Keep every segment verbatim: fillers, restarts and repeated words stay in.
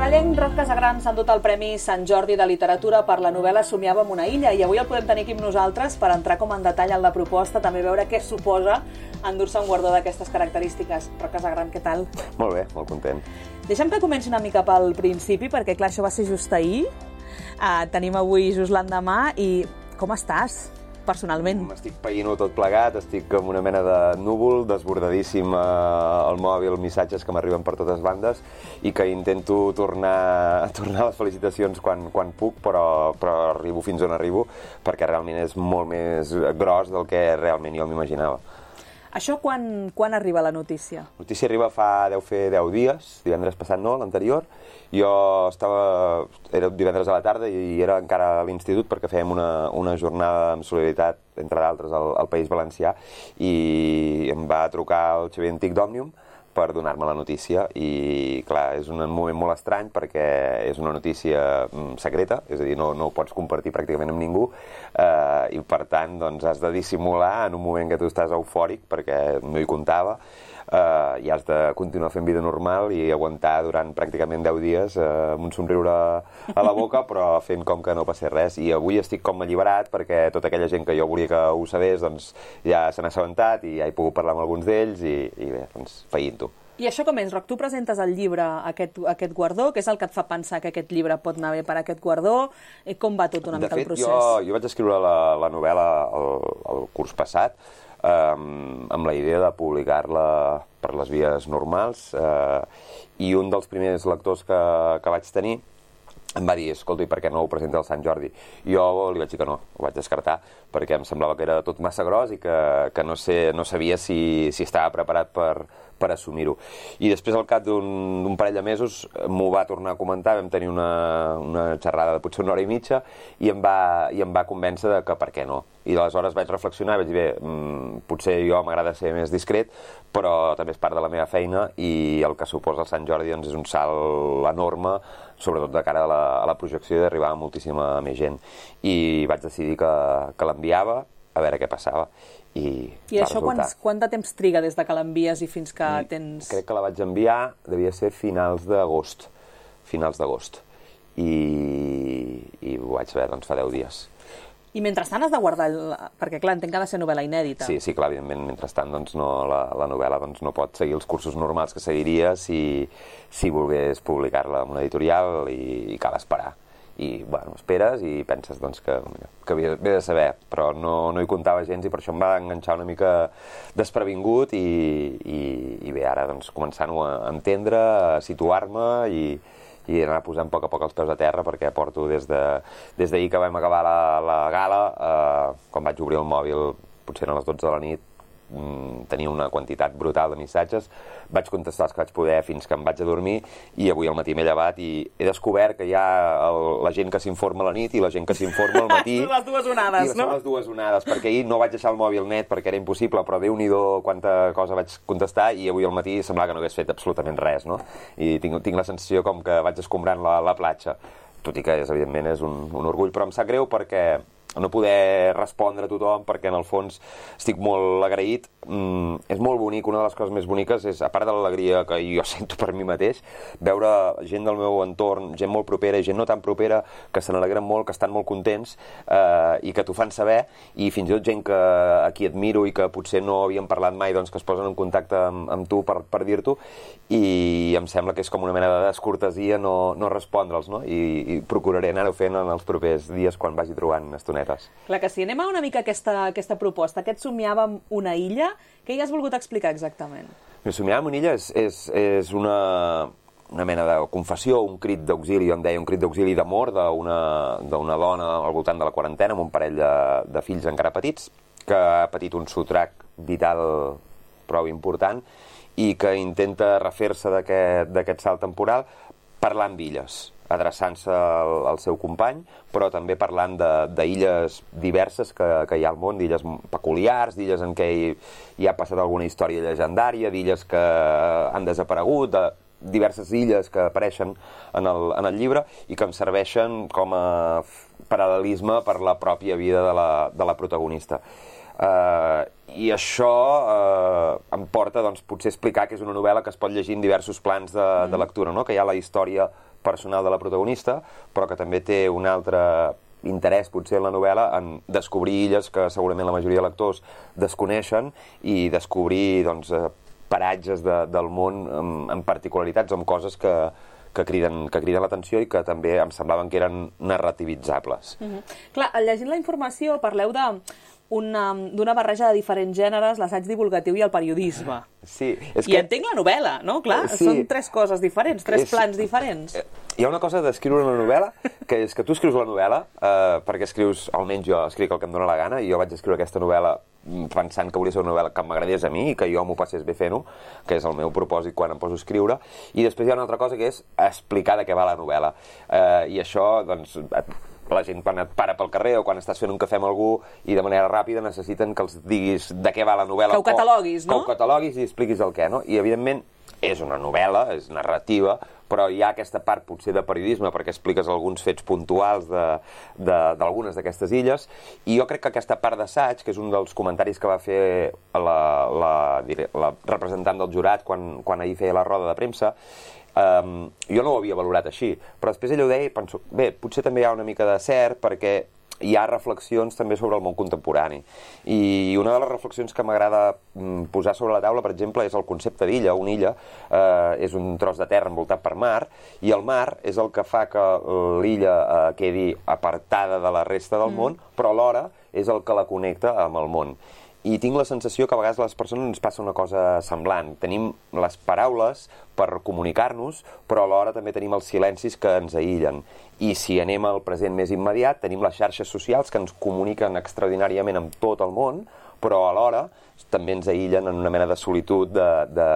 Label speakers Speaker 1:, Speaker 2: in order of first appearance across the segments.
Speaker 1: saballenc Roc Casagran s'ha endut el Premi Sant Jordi de Literatura per la novel·la Somiàvem una illa, i avui el podem tenir aquí amb nosaltres per entrar com en detall en la proposta, també veure què suposa endur-se un guardó d'aquestes característiques. Roc Casagran, què tal?
Speaker 2: Molt bé, molt content.
Speaker 1: Deixa'm que comenci una mica pel principi, perquè clar, això va ser just ahir. Uh, tenim avui just l'endemà i com estàs? Personalment.
Speaker 2: Estic païnt-ho tot plegat, estic com una mena de núvol, desbordadíssim eh, al mòbil, missatges que m'arriben per totes bandes i que intento tornar, tornar les felicitacions quan, quan puc, però, però arribo fins on arribo, perquè realment és molt més gros del que realment jo m'imaginava.
Speaker 1: Això quan, quan arriba la notícia?
Speaker 2: La notícia arriba fa, deu fer deu dies, divendres passat no, l'anterior. Jo estava, era divendres a la tarda i era encara a l'institut perquè fèiem una, una jornada amb solidaritat, entre d'altres, al, al País Valencià, i em va trucar el Xavier Antic d'Òmnium per donar-me la notícia i, clar, és un moment molt estrany perquè és una notícia secreta, és a dir, no, no ho pots compartir pràcticament amb ningú eh, i, per tant, doncs, has de dissimular en un moment que tu estàs eufòric perquè no hi comptava eh, i has de continuar fent vida normal i aguantar durant pràcticament deu dies eh, amb un somriure a la boca però fent com que no passés res. I avui estic com alliberat perquè tota aquella gent que jo volia que ho sabés doncs ja se n'ha assabentat i ja he pogut parlar amb alguns d'ells i, i bé, doncs feint-ho.
Speaker 1: I això com és, Roc? Tu presentes el llibre, aquest, aquest guardó, què és el que et fa pensar que aquest llibre pot anar bé per aquest guardó? I com va tot una mica el procés?
Speaker 2: De fet, jo, jo vaig escriure la, la novel·la el, el curs passat eh, amb la idea de publicar-la per les vies normals eh, i un dels primers lectors que, que vaig tenir em va dir, escolta, i per què no ho presenta el Sant Jordi? Jo li vaig dir que no, ho vaig descartar, perquè em semblava que era tot massa gros i que, que no, sé, no sabia si, si estava preparat per, per assumir-ho. I després, al cap d'un parell de mesos, m'ho va tornar a comentar, vam tenir una, una xerrada de potser una hora i mitja, i em va, i em va convèncer de que per què no. I aleshores vaig reflexionar i vaig dir, bé, mmm, potser jo m'agrada ser més discret, però també és part de la meva feina i el que suposa el Sant Jordi doncs, és un salt enorme, sobretot de cara a la, a la projecció i d'arribar a moltíssima més gent. I vaig decidir que, que l'enviava a veure què passava. I,
Speaker 1: I això quants, quant de temps triga des de que l'envies i fins que I tens...
Speaker 2: Crec que la vaig enviar, devia ser finals d'agost. Finals d'agost. I, I ho vaig veure doncs, fa deu dies.
Speaker 1: I mentrestant has de guardar... El... Perquè, clar, entenc que ha de ser novel·la inèdita.
Speaker 2: Sí, sí, clar, evidentment, mentrestant doncs, no, la, la novel·la doncs, no pot seguir els cursos normals que seguiria si, si volgués publicar-la en una editorial i, i cal esperar. I, bueno, esperes i penses doncs, que, que havia de saber, però no, no hi comptava gens i per això em va enganxar una mica desprevingut i, i, i bé, ara doncs, començant-ho a entendre, a situar-me i... i anar posant a poc a poc els peus a terra perquè porto des d'ahir de, des que vam acabar la, la gala, eh, quan vaig obrir el mòbil, potser a les dotze de la nit, mm, tenia una quantitat brutal de missatges, vaig contestar els que vaig poder fins que em vaig a dormir i avui al matí m'he llevat i he descobert que hi ha el, la gent que s'informa a la nit i la gent que s'informa al matí.
Speaker 1: Les dues onades,
Speaker 2: I
Speaker 1: no?
Speaker 2: Són les dues onades, perquè ahir no vaig deixar el mòbil net perquè era impossible, però Déu-n'hi-do quanta cosa vaig contestar i avui al matí semblava que no hagués fet absolutament res, no? I tinc, tinc la sensació com que vaig escombrant la, la platja, tot i que és, evidentment és un, un orgull, però em sap greu perquè no poder respondre a tothom perquè en el fons estic molt agraït. Mm, és molt bonic, una de les coses més boniques és, a part de l'alegria que jo sento per mi mateix, veure gent del meu entorn, gent molt propera i gent no tan propera, que se n'alegren molt, que estan molt contents eh, i que t'ho fan saber, i fins i tot gent que, a qui admiro i que potser no havíem parlat mai, doncs que es posen en contacte amb, amb tu per, per dir-t'ho, i em sembla que és com una mena de descortesia no, no respondre'ls, no? I, i procuraré anar-ho fent en els propers dies quan vagi trobant estonetes.
Speaker 1: Clar que sí. Anem a una mica aquesta, aquesta proposta. Aquest Somiàvem una illa, què hi has volgut explicar exactament?
Speaker 2: Somiàvem una illa és, és, és una, una mena de confessió, un crit d'auxili, jo em deia un crit d'auxili d'amor d'una dona al voltant de la quarantena amb un parell de, de fills encara petits, que ha patit un sotrac vital prou important i que intenta refer-se d'aquest salt temporal parlant d'illes, adreçant-se al, al seu company, però també parlant d'illes diverses que, que hi ha al món, d'illes peculiars, d'illes en què hi, hi ha passat alguna història llegendària, d'illes que han desaparegut, de diverses illes que apareixen en el, en el llibre i que em serveixen com a paral·lelisme per la pròpia vida de la, de la protagonista. Uh, I això uh, em porta, doncs, potser a explicar que és una novel·la que es pot llegir en diversos plans de, mm. de lectura, no? Que hi ha la història personal de la protagonista, però que també té un altre interès, potser, en la novel·la, en descobrir illes que segurament la majoria de lectors desconeixen i descobrir, doncs, paratges de, del món amb, amb particularitats, amb coses que, que criden, que criden l'atenció i que també em semblaven que eren narrativitzable.
Speaker 1: Mm-hmm. Clar, llegint la informació parleu de d'una barreja de diferents gèneres, l'assaig divulgatiu i el periodisme.
Speaker 2: Sí, és
Speaker 1: I
Speaker 2: que...
Speaker 1: entenc la novel·la, no? Clar, sí. Són tres coses diferents, tres és... plans diferents.
Speaker 2: Hi ha una cosa d'escriure una novel·la, que és que tu escrius la novel·la, eh, perquè escrius, almenys jo escric el que em dóna la gana, i jo vaig escriure aquesta novel·la pensant que volia ser una novel·la que m'agradés a mi i que jo m'ho passés bé fent-ho, que és el meu propòsit quan em poso a escriure, i després hi ha una altra cosa que és explicar de què va la novel·la. Eh, I això, doncs, la gent quan et para pel carrer o quan estàs fent un cafè amb algú i de manera ràpida necessiten que els diguis de què va la novel·la.
Speaker 1: Que ho cataloguis, no?
Speaker 2: Que ho cataloguis i expliquis el què, no? I, evidentment, és una novel·la, és narrativa, però hi ha aquesta part, potser, de periodisme, perquè expliques alguns fets puntuals d'algunes d'aquestes illes, i jo crec que aquesta part d'assaig, que és un dels comentaris que va fer la, la, la representant del jurat quan, quan ahir feia la roda de premsa, Um, jo no ho havia valorat així, però després ella ho deia i penso, bé, potser també hi ha una mica de cert perquè hi ha reflexions també sobre el món contemporani. I una de les reflexions que m'agrada posar sobre la taula, per exemple, és el concepte d'illa. Una illa eh, és un tros de terra envoltat per mar, i el mar és el que fa que l'illa eh, quedi apartada de la resta del mm. món, però alhora és el que la connecta amb el món. I tinc la sensació que a vegades a les persones ens passa una cosa semblant. Tenim les paraules per comunicar-nos, però alhora també tenim els silencis que ens aïllen. I si anem al present més immediat, tenim les xarxes socials que ens comuniquen extraordinàriament amb tot el món, però alhora també ens aïllen en una mena de solitud de, de,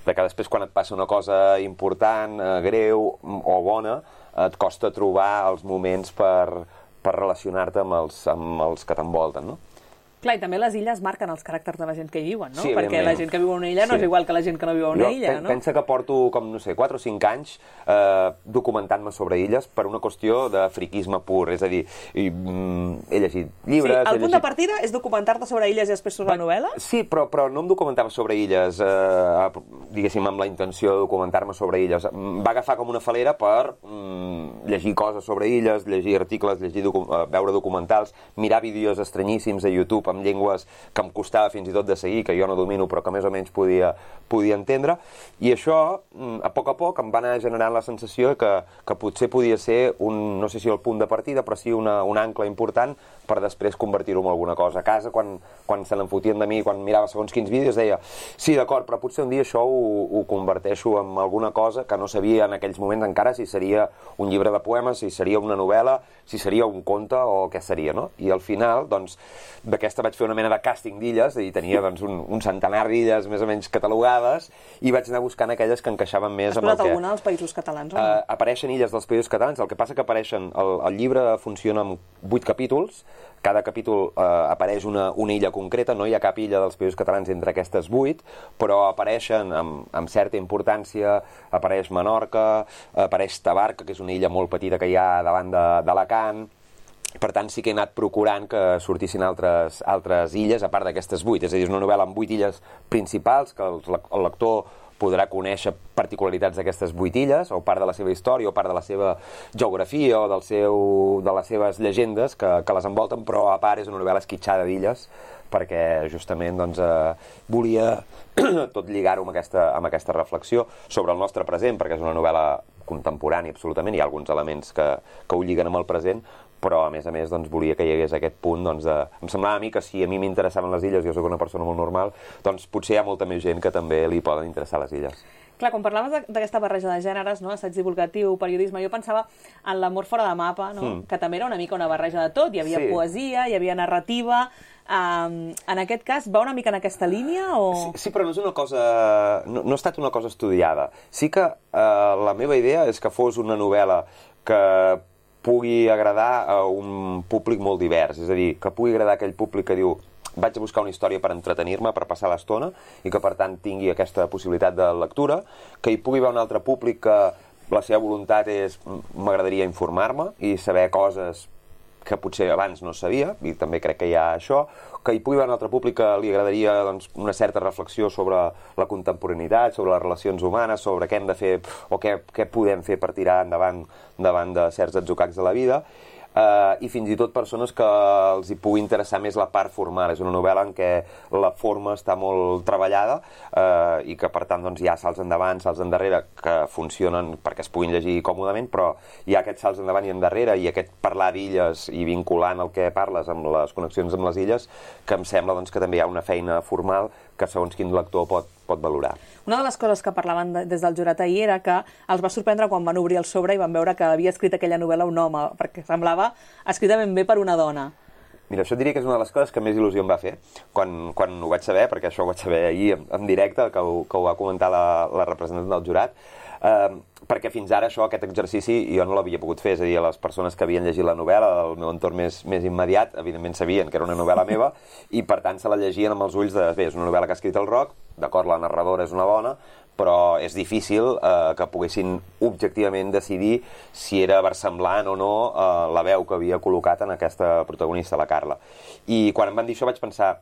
Speaker 2: de que després quan et passa una cosa important, eh, greu o bona, et costa trobar els moments per, per relacionar-te amb els, amb els que t'envolten, no?
Speaker 1: Clar, i també les illes marquen els caràcters de la gent que hi viuen, no?
Speaker 2: Sí,
Speaker 1: perquè la gent que viu a una illa no sí. és igual que la gent que no viu a una
Speaker 2: jo
Speaker 1: illa, no?
Speaker 2: Pensa que porto, com no sé, quatre o cinc anys eh, documentant-me sobre illes per una qüestió de friquisme pur, és a dir, i, mm, he llegit llibres...
Speaker 1: Sí, el punt
Speaker 2: llegit...
Speaker 1: de partida és documentar-te sobre illes i després sobre la novel·la?
Speaker 2: Sí, però, però no em documentava sobre illes, eh, diguéssim, amb la intenció de documentar-me sobre illes. Va agafar com una falera per mm, llegir coses sobre illes, llegir articles, llegir docu uh, veure documentals, mirar vídeos estranyíssims a YouTube amb llengües que em costava fins i tot de seguir, que jo no domino, però que més o menys podia, podia entendre, i això, a poc a poc, em va anar generant la sensació que, que potser podia ser un, no sé si el punt de partida, però sí una, un ancle important per després convertir-ho en alguna cosa. A casa, quan, quan se n'enfotien de mi, quan mirava segons quins vídeos, deia, sí, d'acord, però potser un dia això ho, ho converteixo en alguna cosa que no sabia en aquells moments encara si seria un llibre de poemes, si seria una novel·la, si seria un conte o què seria, no? I al final, doncs, d'aquesta vaig fer una mena de càsting d'illes, i tenia doncs, un, un centenar d'illes més o menys catalogades, i vaig anar buscant aquelles que encaixaven més amb el que...
Speaker 1: Has posat alguna dels països catalans, o no?
Speaker 2: Uh, apareixen illes dels països catalans, el que passa que apareixen... El, el llibre funciona amb vuit capítols, cada capítol eh, apareix una, una illa concreta, no hi ha cap illa dels països catalans entre aquestes vuit, però apareixen amb, amb certa importància, apareix Menorca, apareix Tabarca, que és una illa molt petita que hi ha davant d'Alacant. Per tant, sí que he anat procurant que sortissin altres, altres illes, a part d'aquestes vuit. És a dir, és una novel·la amb vuit illes principals, que el, el lector podrà conèixer particularitats d'aquestes vuit illes, o part de la seva història, o part de la seva geografia, o del seu, de les seves llegendes que, que les envolten, però a part és una novel·la esquitxada d'illes, perquè justament doncs, eh, volia tot lligar-ho amb, aquesta, amb aquesta reflexió sobre el nostre present, perquè és una novel·la contemporània absolutament, hi ha alguns elements que, que ho lliguen amb el present, però a més a més doncs, volia que hi hagués aquest punt doncs, de... Em semblava a mi que si a mi m'interessaven les illes, jo sóc una persona molt normal, doncs potser hi ha molta més gent que també li poden interessar les illes.
Speaker 1: Clar, quan parlaves d'aquesta barreja de gèneres, no? Assaig divulgatiu, periodisme, jo pensava en l'amor fora de mapa, no? Mm. Que també era una mica una barreja de tot, hi havia sí. poesia, hi havia narrativa... Um, en aquest cas, va una mica en aquesta línia? O...
Speaker 2: Sí, sí, però no és una cosa... No, no ha estat una cosa estudiada. Sí que uh, la meva idea és que fos una novel·la que pugui agradar a un públic molt divers, és a dir, que pugui agradar aquell públic que diu vaig a buscar una història per entretenir-me, per passar l'estona, i que per tant tingui aquesta possibilitat de lectura, que hi pugui haver un altre públic que la seva voluntat és m'agradaria informar-me i saber coses que potser abans no sabia, i també crec que hi ha això, que hi pugui haver un altre públic que li agradaria doncs, una certa reflexió sobre la contemporaneïtat, sobre les relacions humanes, sobre què hem de fer o què, què podem fer per tirar endavant davant de certs atzucacs de la vida, Uh, i fins i tot persones que els hi pugui interessar més la part formal. És una novel·la en què la forma està molt treballada uh, i que per tant doncs, hi ha salts endavant, salts endarrere que funcionen perquè es puguin llegir còmodament, però hi ha aquests salts endavant i endarrere i aquest parlar d'illes i vinculant el que parles amb les connexions amb les illes, que em sembla doncs, que també hi ha una feina formal que segons quin lector pot, pot valorar.
Speaker 1: Una de les coses que parlaven de, des del jurat ahir era que els va sorprendre quan van obrir el sobre i van veure que havia escrit aquella novel·la un home, perquè semblava escrita ben bé per una dona.
Speaker 2: Mira, això diria que és una de les coses que més il·lusió em va fer quan, quan ho vaig saber, perquè això ho vaig saber ahir en, en directe, que ho, que ho va comentar la, la representant del jurat, eh, perquè fins ara això, aquest exercici, jo no l'havia pogut fer, és a dir, les persones que havien llegit la novel·la del meu entorn més, més immediat, evidentment sabien que era una novel·la meva, i per tant se la llegien amb els ulls de, bé, és una novel·la que ha escrit el Roc, d'acord, la narradora és una dona, però és difícil eh, que poguessin objectivament decidir si era versemblant o no eh, la veu que havia col·locat en aquesta protagonista, la Carla. I quan em van dir això vaig pensar,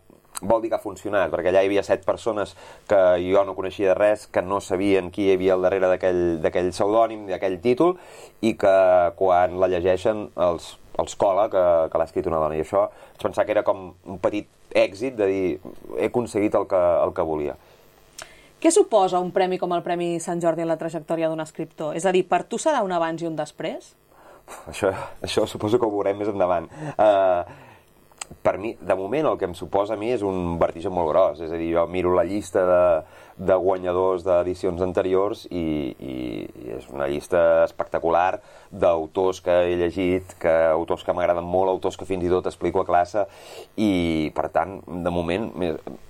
Speaker 2: vol dir que ha funcionat, perquè allà hi havia set persones que jo no coneixia de res, que no sabien qui hi havia al darrere d'aquell pseudònim, d'aquell títol, i que quan la llegeixen els, els cola que, que l'ha escrit una dona. I això vaig pensar que era com un petit èxit de dir, he aconseguit el que, el que volia.
Speaker 1: Què suposa un premi com el Premi Sant Jordi en la trajectòria d'un escriptor? És a dir, per tu serà un abans i un després?
Speaker 2: Això, això suposo que ho veurem més endavant. Uh, per mi, de moment, el que em suposa a mi és un vertigen molt gros. És a dir, jo miro la llista de, de guanyadors d'edicions anteriors i, i, i és una llista espectacular d'autors que he llegit, que, autors que m'agraden molt, autors que fins i tot explico a classe, i per tant, de moment,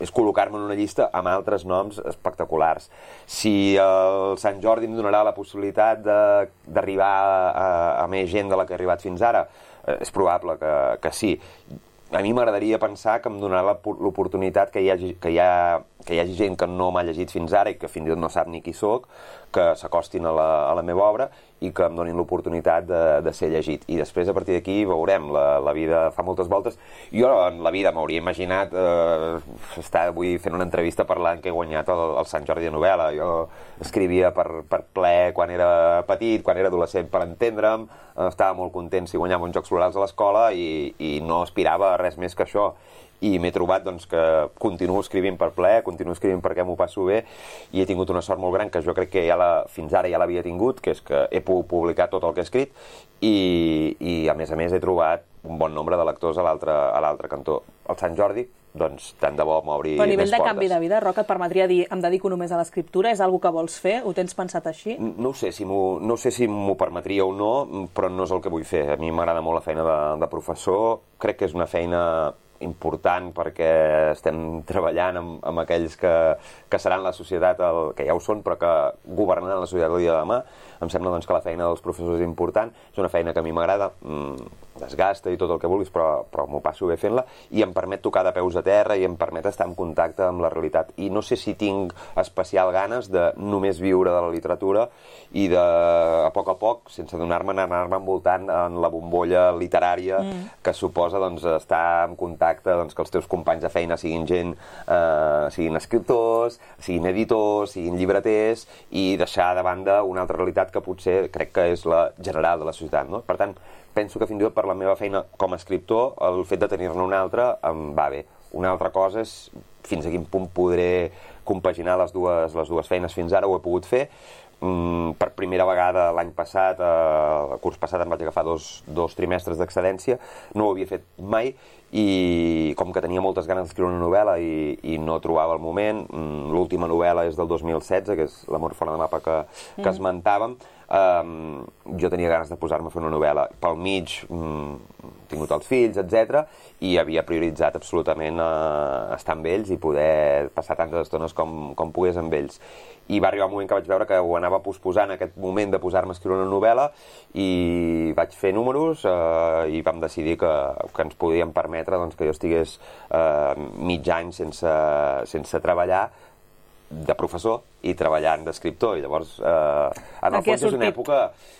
Speaker 2: és col·locar-me en una llista amb altres noms espectaculars. Si el Sant Jordi em donarà la possibilitat d'arribar a, a, a més gent de la que he arribat fins ara, és probable que, que sí. A mi m'agradaria pensar que em donarà l'oportunitat que hi hagi, que hi ha, que hi hagi gent que no m'ha llegit fins ara i que fins i tot no sap ni qui sóc, que s'acostin a, la, a la meva obra i que em donin l'oportunitat de, de ser llegit. I després, a partir d'aquí, veurem. La, la vida fa moltes voltes. Jo en la vida m'hauria imaginat eh, estar avui fent una entrevista parlant que he guanyat el, el Sant Jordi de novel·la. Jo escrivia per, per ple quan era petit, quan era adolescent, per entendre'm. Estava molt content si guanyava uns Jocs Florals a l'escola i, i no aspirava a res més que això. I m'he trobat doncs, que continuo escrivint per ple, continuo escrivint perquè m'ho passo bé, i he tingut una sort molt gran que jo crec que ja la, fins ara ja l'havia tingut, que és que he pogut publicar tot el que he escrit, i, i a més a més he trobat un bon nombre de lectors a l'altre cantó. El Sant Jordi, doncs tant de bo m'obri més portes.
Speaker 1: Però a nivell de canvi de vida, Roc, et permetria dir em dedico només a l'escriptura? És alguna que vols fer? Ho tens pensat així?
Speaker 2: No sé si m'ho no sé si m'ho permetria o no, però no és el que vull fer. A mi m'agrada molt la feina de, de professor, crec que és una feina important perquè estem treballant amb, amb aquells que, que seran la societat, el, que ja ho són, però que governaran la societat el dia de demà. Em sembla doncs, que la feina dels professors és important, és una feina que a mi m'agrada, mmm, desgasta i tot el que vulguis, però, però m'ho passo bé fent-la, i em permet tocar de peus a terra i em permet estar en contacte amb la realitat. I no sé si tinc especial ganes de només viure de la literatura i de, a poc a poc, sense donar-me, anar-me envoltant en la bombolla literària mm. que suposa doncs, estar en contacte, doncs, que els teus companys de feina siguin gent, eh, siguin escriptors, siguin editors, siguin llibreters, i deixar de banda una altra realitat que potser crec que és la general de la societat, no? Per tant, penso que fins i tot per la meva feina com a escriptor, el fet de tenir-ne una altra em va bé. Una altra cosa és fins a quin punt podré compaginar les dues, les dues feines. Fins ara ho he pogut fer. Mm, per primera vegada l'any passat, eh, el curs passat em vaig agafar dos, dos trimestres d'excedència, no ho havia fet mai, i com que tenia moltes ganes d'escriure una novel·la i, i no trobava el moment, mm, l'última novel·la és del dos mil setze, que és L'amor fora de mapa que, que mm. esmentàvem, Um, jo tenia ganes de posar-me a fer una novel·la. Pel mig um, he tingut els fills, etcètera, i havia prioritzat absolutament uh, estar amb ells i poder passar tantes estones com, com pogués amb ells. I va arribar un moment que vaig veure que ho anava posposant, aquest moment de posar-me a escriure una novel·la, i vaig fer números uh, i vam decidir que, que ens podíem permetre doncs, que jo estigués uh, mig any sense, sense treballar de professor i treballant d'escriptor, i llavors eh, en el fons és una època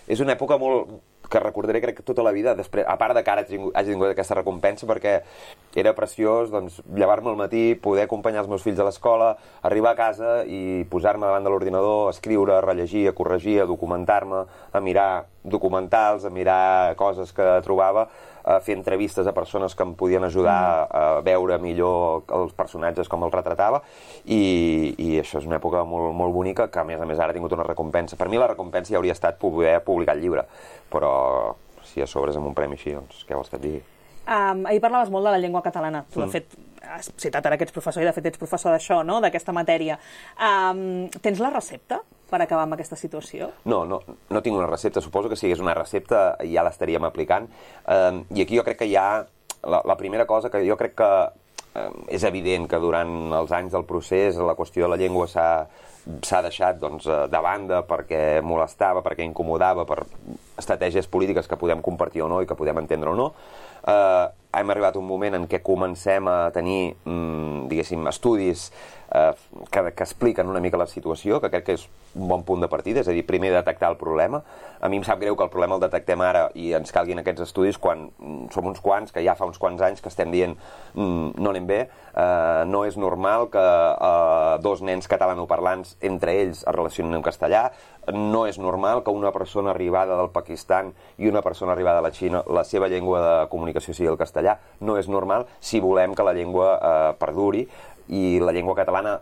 Speaker 2: és una època molt que recordaré crec que tota la vida, després, a part de que ara hagi tingut, hagi tingut aquesta recompensa, perquè era preciós doncs, llevar-me al matí, poder acompanyar els meus fills a l'escola, arribar a casa i posar-me davant de l'ordinador, a escriure, a rellegir, a corregir, a documentar-me, a mirar documentals, a mirar coses que trobava, a fer entrevistes a persones que em podien ajudar a veure millor els personatges com els retratava, i, i això és una època molt, molt bonica, que a més a més ara ha tingut una recompensa. Per mi la recompensa ja hauria estat poder publicar el llibre, però si a sobre és amb un premi així, doncs què vols que et digui?
Speaker 1: Um, ahir parlaves molt de la llengua catalana. Tu, de fet, has citat ara que ets professor, i de fet ets professor d'això, no?, d'aquesta matèria. Um, tens la recepta per acabar amb aquesta situació?
Speaker 2: No, no, no tinc una recepta. Suposo que si hagués una recepta ja l'estaríem aplicant. Um, I aquí jo crec que hi ha... La, la primera cosa que jo crec que um, és evident que durant els anys del procés la qüestió de la llengua s'ha s'ha deixat doncs, de banda perquè molestava, perquè incomodava, per estratègies polítiques que podem compartir o no i que podem entendre o no. Eh, hem arribat a un moment en què comencem a tenir, mm, diguéssim, estudis eh, que, que expliquen una mica la situació, que crec que és un bon punt de partida, és a dir, primer detectar el problema. A mi em sap greu que el problema el detectem ara i ens calguin aquests estudis quan mm, som uns quants, que ja fa uns quants anys que estem dient mm, no anem bé, eh, no és normal que eh, dos nens catalanoparlants entre ells es relacionen en castellà, no és normal que una persona arribada del Pakistan i una persona arribada de la Xina, la seva llengua de comunicació sigui el castellà, no és normal si volem que la llengua eh, perduri, i la llengua catalana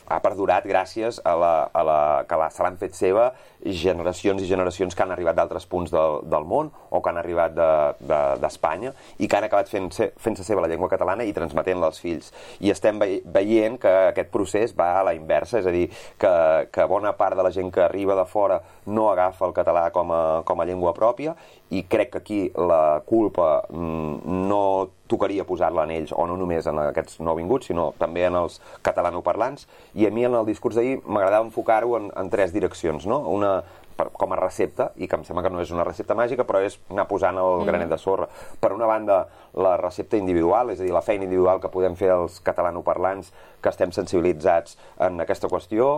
Speaker 2: ha perdurat gràcies a la, a la, que la, se l'han fet seva generacions i generacions que han arribat d'altres punts del, del món o que han arribat d'Espanya de, de, i que han acabat fent-se fent seva la llengua catalana i transmetent-la als fills. I estem veient que aquest procés va a la inversa, és a dir, que, que bona part de la gent que arriba de fora no agafa el català com a, com a llengua pròpia, i crec que aquí la culpa mm, no tocaria posar-la en ells, o no només en aquests nouvinguts, sinó també en els catalanoparlants. I a mi en el discurs d'ahir m'agradava enfocar-ho en, en tres direccions, no? Una per, com a recepta, i que em sembla que no és una recepta màgica, però és anar posant el granet de sorra. Per una banda, la recepta individual, és a dir, la feina individual que podem fer els catalanoparlants que estem sensibilitzats en aquesta qüestió,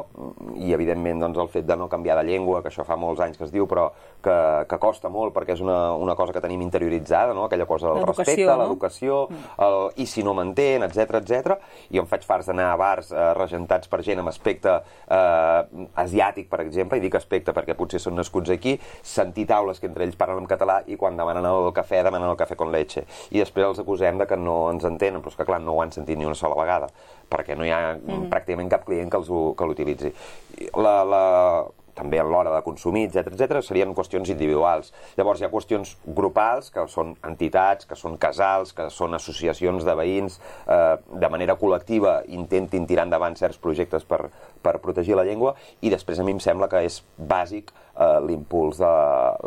Speaker 2: i evidentment doncs, el fet de no canviar de llengua, que això fa molts anys que es diu, però que, que costa molt perquè és una, una cosa que tenim interioritzada, no? Aquella cosa del respecte, no? L'educació, el, i si no m'entén, etcètera, etcètera. I em faig farts d'anar a bars eh, regentats per gent amb aspecte eh, asiàtic, per exemple, i dic aspecte perquè potser són nascuts aquí, sentir taules que entre ells parlen en català i quan demanen el cafè, demanen el cafè con leche. I després els acusem de que no ens entenen, però és que clar, no ho han sentit ni una sola vegada, perquè no hi ha mm-hmm. pràcticament cap client que l'utilitzi. La, la, també a l'hora de consumir, etcètera, etcètera, serien qüestions individuals. Llavors hi ha qüestions grupals, que són entitats, que són casals, que són associacions de veïns, eh, de manera col·lectiva intentin tirar endavant certs projectes per, per protegir la llengua, i després a mi em sembla que és bàsic eh, l'impuls de,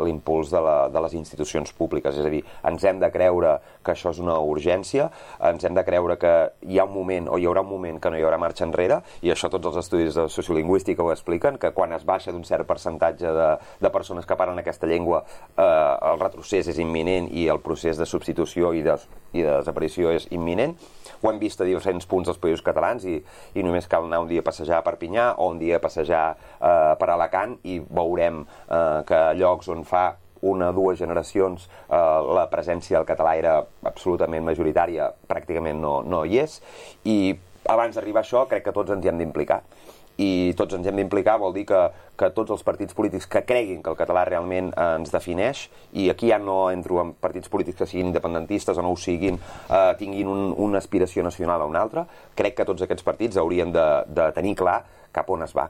Speaker 2: l'impuls de, la, de les institucions públiques. És a dir, ens hem de creure que això és una urgència, ens hem de creure que hi ha un moment, o hi haurà un moment que no hi haurà marxa enrere, i això tots els estudis de sociolingüística ho expliquen, que quan es baixa d'un cert percentatge de, de persones que parlen aquesta llengua, eh, el retrocés és imminent i el procés de substitució i de, i de desaparició és imminent. Ho hem vist a diferents punts dels països catalans, i, i només cal anar un dia a passejar a Perpinyà o un dia a passejar eh, per Alacant i veurem eh, que a llocs on fa una o dues generacions eh, la presència del català era absolutament majoritària, pràcticament no, no hi és, i abans d'arribar a això crec que tots ens hi hem d'implicar. I tots ens hem d'implicar vol dir que, que tots els partits polítics que creguin que el català realment eh, ens defineix, i aquí ja no entro en partits polítics que siguin independentistes o no ho siguin, eh, tinguin un, una aspiració nacional a una altra, crec que tots aquests partits haurien de, de tenir clar cap on es va.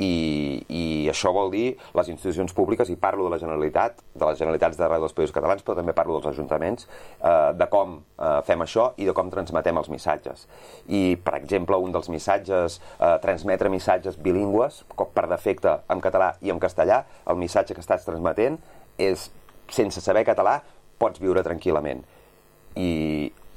Speaker 2: I, i això vol dir les institucions públiques, i parlo de la Generalitat, de les Generalitats d'arreu dels països catalans, però també parlo dels ajuntaments, eh, de com eh, fem això i de com transmetem els missatges. I, per exemple, un dels missatges, eh, transmetre missatges bilingües, per defecte en català i en castellà, el missatge que estàs transmetent és, sense saber català, pots viure tranquil·lament. I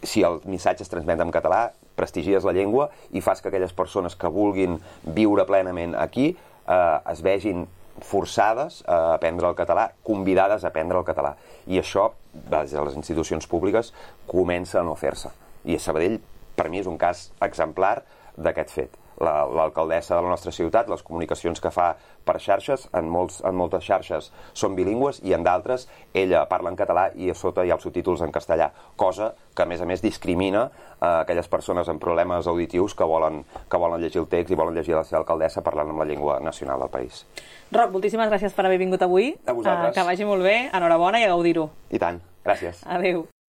Speaker 2: si el missatge es transmet en català, prestigies la llengua i fas que aquelles persones que vulguin viure plenament aquí eh, es vegin forçades a aprendre el català, convidades a aprendre el català. I això, des de les institucions públiques, comença a no fer-se. I a Sabadell, per mi, és un cas exemplar d'aquest fet. l'alcaldessa de la nostra ciutat, les comunicacions que fa per xarxes, en, molts, en moltes xarxes són bilingües i en d'altres ella parla en català i a sota hi ha els subtítols en castellà, cosa que a més a més discrimina eh, aquelles persones amb problemes auditius que volen, que volen llegir el text i volen llegir la seva alcaldessa parlant amb la llengua nacional del país.
Speaker 1: Roc, moltíssimes gràcies per haver vingut avui.
Speaker 2: A vosaltres.
Speaker 1: Uh, que vagi molt bé, enhorabona i a gaudir-ho.
Speaker 2: I tant, gràcies.
Speaker 1: Adéu.